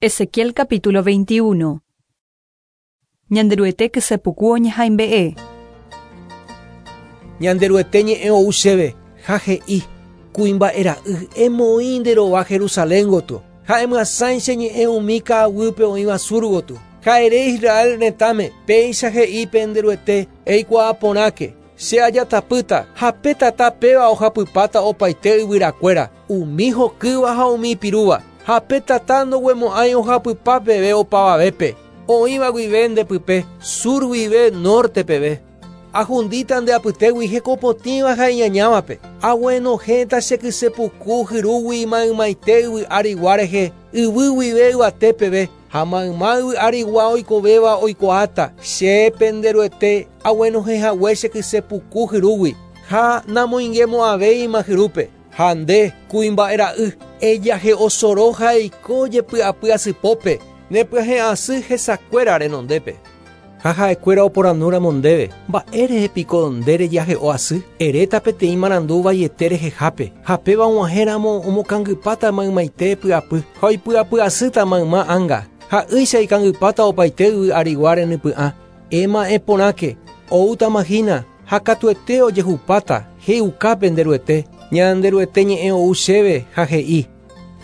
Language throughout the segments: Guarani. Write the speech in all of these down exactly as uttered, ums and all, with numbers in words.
Ezequiel capítulo veintiuno. Ñanderuete kysepuku oñehãimbe'e. Ñanderuete ñe'ẽ ou chéve ha he'i kuimba'era'y emoĩ nde rova Jerusalén gotyo ha emyasãi che ñe'ẽ umi ka'aguýpe oĩva sur gotyo ha ere Israel retãme péicha he'i penderuete eikuaa porãke che ajatapýta ha pe tata péva ohapypáta opaite yvyrakuéra umi hokýva ha umi ipirúva ha pe tata ndoguemo'ãi ohapypa peve opavavépe oĩva guive ndepype sur guive norte peve ahundíta nde apytégui hekopotĩva ha iñañávape aguenohẽta che kysepuku hyrúgui maymaite yvy arigua rehe yvy guive yvate peve ha mayma yvy arigua oikovéva oikuaáta che penderuete aguenohẽhague che kysepuku hyrúgui ha namoingemo'ãvéima hyrúpe ha nde kuimba'era'y ejahe'osoro ha eiko jepy'apy asypópe nepyahẽ'asy hesakuéra renondépe ha ha'ekuéra oporanúramo ndéve mba'érehe piko nde rejahe'o asy eréta peteĩ marandu vaiete rehehápe ha péva og̃uahẽramo omokangypáta maymaite py'apy ha oipy'apy'asýta mayma ánga ha'ýicha ikangypáta opaite yvy arigua renypy'ã ema'ẽ porãke oútama hína ha katuete ojehupáta he'ukápe nderuete Ñanderuete ñe'ẽ ou chéve ha he'i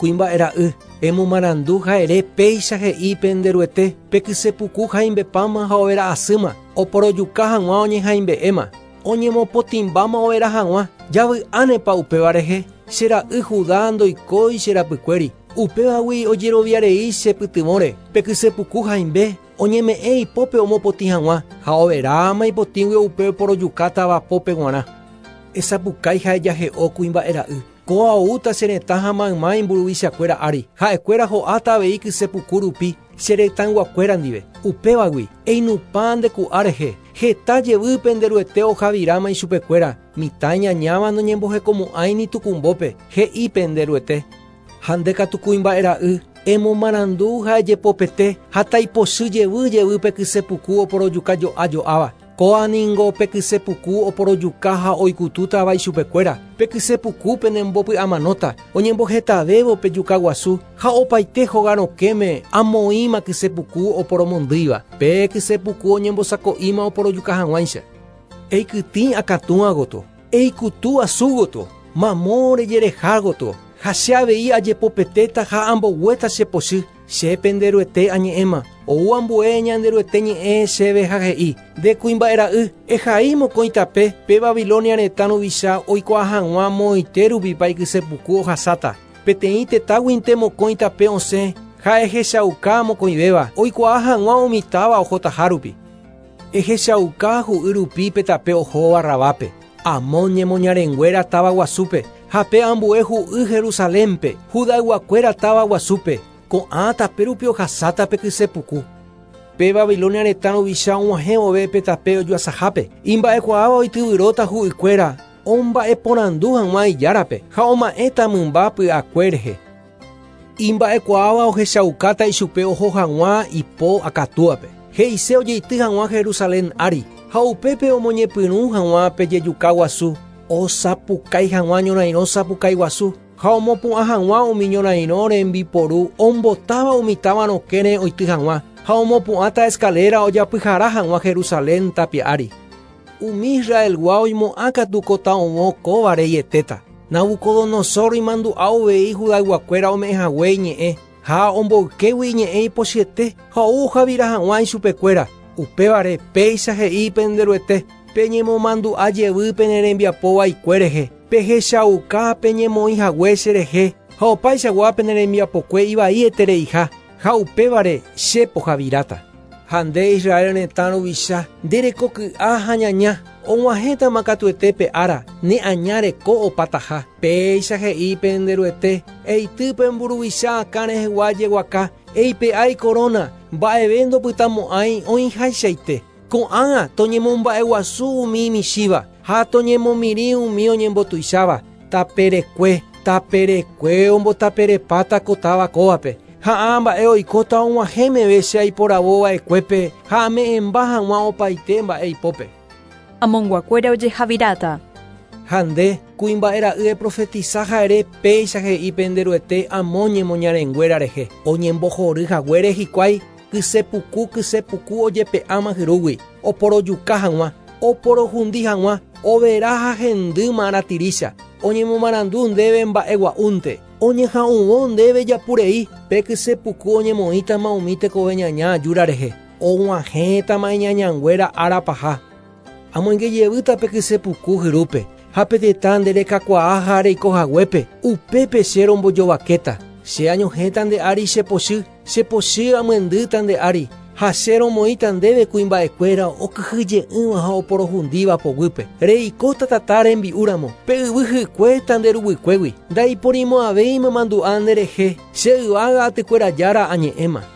kuimba'era'y emomarandu ha ere péicha he'i penderuete pe kysepuku hãimbepáma ha overa'asýma oporojuka hag̃ua oñehãimbe'éma oñemopotĩmbáma overa hag̃ua javy'ánepa upéva rehe che ra'y Judá ndoikói che rapykuéri upévagui ojeroviarei che pytyvõre pe kysepuku hãimbe oñeme'ẽ ipópe omopotĩ hag̃ua ha overáma ipotĩgui upe oporojukátava pópe g̃uarã esapukái ha ejahe'o kuimba'era'y kóa oúta che retã ha mayma imburuvichakuéra ári ha'ekuéra ho'áta avei kysepuku rupi che retãyguakuéra ndive upévagui einupã nde ku'a rehe heta jevy penderuete ohaviráma ichupekuéra mitã iñañáva noñembohekomo'ãi ni tukumbópe he'i penderuete ha nde katu kuimba'era'y emomarandu ha ejepopete ha taipochy jevy jevy pe kysepuku oporojuka jo'a jo'áva kóa ningo pe kysepuku oporojuka ha oikutútava ichupekuéra pe kysepuku penembopy'amanóta oñembohetavévo pe juka guasu ha opaite hogarokẽme amoĩma kysepuku oporomondýiva pe kysepuku oñembosako'íma oporojuka hag̃uáicha eikytĩ akatúa gotyo eikutu asu gotyo mamo rejereha gotyo ha che avei ajepopetéta ha amboguéta che pochy che penderuete añe'ẽma ou ambue ñanderuete ñe'ẽ chéve ha he'i nde kuimba'era'y ehai mokõi tape pe Babilonia retã ruvicha oikuaa hag̃ua moõite rupipa ikysepuku ohasáta peteĩ tetãguinte mokõi tape osẽ ha ehechauka mokõivéva oikuaa hag̃ua umi táva ohotaha rupi ehechauka hu'y rupi pe tape ohóva Rabápe Amón ñemoñarenguéra táva guasúpe ha pe ambue hu'y Jerusalénpe Judayguakuéra táva guasúpe ko'ã tape rupi ohasáta pe kysepuku pe Babilonia retã ruvicha og̃uahẽ vove pe tape ojuasahápe imba'ekuaáva oityvyróta hu'ykuéra omba'eporandu hag̃ua ijárape ha oma'ẽta mymba py'akue rehe imba'ekuaáva ohechaukáta ichupe oho hag̃ua ipo akatúape he'ise ojeity hag̃ua Jerusalén ári ha upépe omoñepyrũ hag̃ua pe jejuka guasu osapukái hag̃ua ñorairõ sapukái guasu ha omopu'ã hag̃ua umi ñorairõ rembiporu ombotáva umi táva rokẽre oity hag̃ua ha omopu'ãta escalera ojapyhara hag̃ua Jerusalén tapia ári umi Israelgua oimo'ã katu ko ta'ovõ kóva reietéta Nabucodonosor imandu'a uvei Judayguakuéra ome'ẽhague iñe'ẽ ha omboykégui iñe'ẽ ipochyete ha ou ohavira hag̃ua ichupekuéra upévare péicha he'i penderuete peñemomandu'a jevy pene rembiapo vaikue rehe pehechauka peñemoĩhague che rehe ha opaichagua pene rembiapokue ivaietereiha ha upévare che pohaviráta ha nde Israel retã ruvicha nde rekoky'a ha ñaña og̃uahẽtama katuete pe ára ne aña reko opataha péicha he'i penderuete eitýpe mburuvicha akã rehegua jeguaka eipe'a ikorona mba'eve ndopytamo'ãi oĩhaichaite ko'ág̃a toñemomba'eguasu umi michĩva ha toñemomirĩ umi oñembotuicháva taperekue taperekue ombotaperepáta ko táva kóvape ha ã mba'e oikóta og̃uahẽ meve che aiporavova'ekuépe ha ame'ẽmba hag̃ua opaite mba'e ipópe Amonguakuéra ojehaviráta ha nde Kuimba'e ra'y eprofetisa ha ere péicha he'i pende Ruete amo ñemoñarenguéra rehe. Oñembohory haguére hikuái kysepuku kysepuku ojepe'áma hyrúgui oporojuka hag̃ua oporohundi hag̃ua overa ha hendýma aratirícha oñemomarandu ndéve mba'egua'únte oñeha'uvõ ndéve japurei pe kysepuku oñemoĩtama umi tekove ñaña ajúra rehe og̃uahẽtama iñañanguéra ára paha amoingejevýta pe kysepuku hyrúpe ha pe tetã nde rekakuaa ha reiko haguépe upépe che rombojovakéta che añohẽta nde ári chepochy chepochy amyendýta nde ári ha che romoĩta ndéve kuimba'ekuéra okyhyje'ỹva ha oporohundíva poguýpe reikóta tata rembi'úramo pe yvy hykuéta nde ruguykuégui ndaiporimo'ãvéima mandu'a nderehe che yvága atykuéra jára añe'ẽma.